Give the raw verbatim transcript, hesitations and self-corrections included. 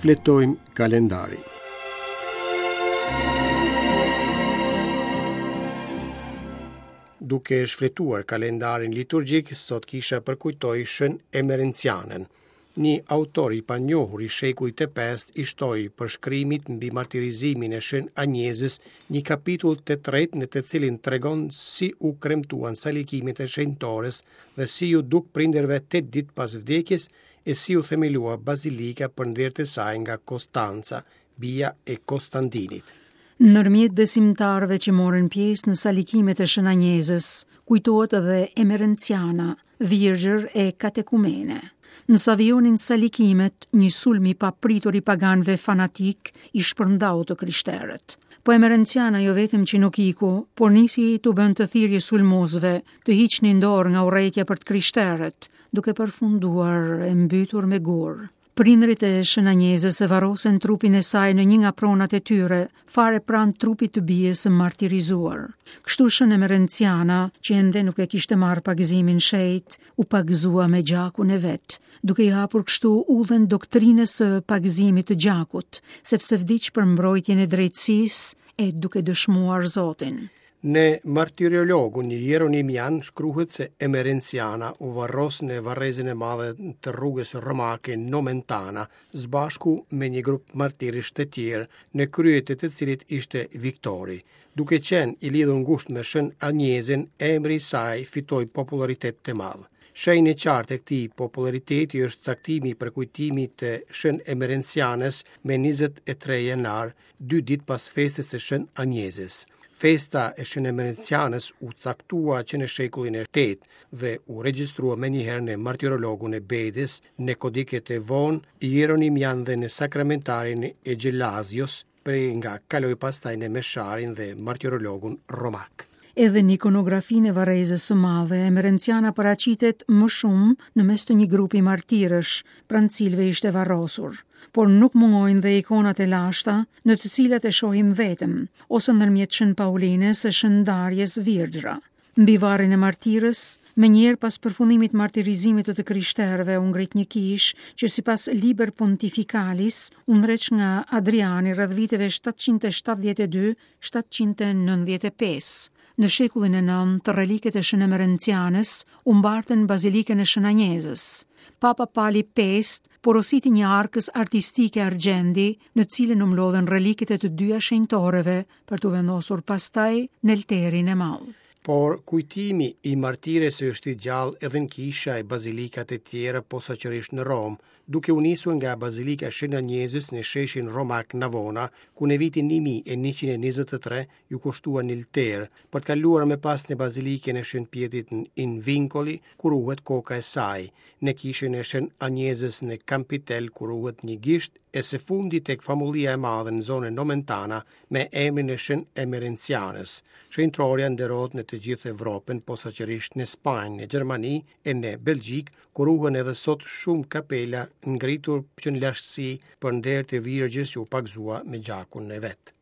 Shfletojmë kalendarin. Duke shfletuar kalendarin liturgjik, sot kisha përkujtoi Shën Emerencianën. Një autor i panjohur i shekullit të pestë i shtoi përshkrimit mbi martirizimin e Shën Anjezës një kapitull të tretë në të cilin tregon si u kremtuan salikimet e shenjtores dhe si iu duk prindërve tetë ditë pas vdekjes e si u themelua bazilika për nder të saj nga Konstanca, bija e Konstandinit. Ndërmjet besimtarëve që morën pjesë në salikimet e Shën Anjezës, kujtohet edhe Emerenciana, virgjër e katekumene. Në savijonin salikimet, një sulm i papritur i paganëve fanatik i shpërndau të krishterët. Po Emerenciana jo vetëm që nuk iku, por nisi t'u bënte thirrje sulmuesve të hiqnin dorë nga urrejtja për të krishterët, duke përfunduar e mbytur me gur. Prindërit e Shën Anjezës e varrosen trupin e saj në një nga pronat e tyre, fare pranë trupit të bijës së martirizuar. Kështu Shën Emerenciana, që ende nuk e kishte marrë pagëzimin shenjt, u pagëzua me gjakun e vet, duke i hapur kështu udhën doktrinës së pagëzimit të gjakut, sepse vdiq për mbrojtjen e drejtësisë e duke dëshmuar Zotin. Në martyrologun Jeronimian shkruhet se Emerenciana u varros në varrezën e madhe të rrugës romake Nomentana, së bashku me një grup martirësh të tjerë, në krye të të cilit ishte Viktori. Duke qenë i lidhur ngushtë me Shën Anjezën, emri i saj fitoi popularitet të madh. Shenjë e qartë e këtij populariteti është caktimi i përkujtimit të Shën Emerencianës me njëzet e tre janar, dy ditë pas festës së Shën Anjezës. Festa e Shën Emerencianës u caktua që në shekullin e tetë dhe u regjistrua menjëherë në martyrologun e Bedës, në kodiket e vonë, Jeronimian dhe në sakramentarin e Gelazios, prej nga kaloi pastaj në Mesharin dhe martyrologun romak. Edhe në ikonografinë e varrezës së madhe, Emerenciana paraqitet më shumë në mes të një grupi martirësh, pranë cilëve ishte varrosur, por nuk mungojnë dhe ikonat e lashta, në të cilat e shohim vetëm, ose ndërmjet Shën Paulinës e Shën Darjes Virgjra. Mbi varrin e martirës, menjëherë pas përfundimit martirizimit të të krishterëve u ngrit një kishë që sipas Liber Pontificalis u ndreq nga Adriani rreth viteve shtatëqind e shtatëdhjetë e dy shtatëqind e nëntëdhjetë e pesë. Në shekullin e nëntë, reliket e Shën Emerencianës u mbartën në bazilikën e Shën Anjezës. Papa Pali pestë porositi një arkës artistike argjendi, në cilën u mblodhen reliket e të dyja shenjtoreve për t'u vendosur pastaj në altarin e madh. Por kujtimi i martires është i gjallë edhe në kisha e bazilikat e tjera, posaçërisht në Romë, duke u nisur nga Bazilika e Shën Anjezës në sheshin romak Navona, ku në vitin një mijë e njëqind e njëzet e tre ju kushtua një altar, për të kaluar më pas në Bazilikën e Shën Pjetrit në In Vincoli, ku ruhet koka e saj, në kishën e Shën Anjezës në Campitel, ku ruhet një gisht, e së fundi tek famullia e madhe në zonën Nomentana me emrin e Shën Emerencianës. Shenjtorja nderohet në të gjithë Evropën, posaçërisht në Spanjë, në Gjermani e në Belgjikë, ku ruhen edhe sot shumë kapela ngritur që në lashtësi për nder të Virgjës që u pagëzua me gjakun e vet.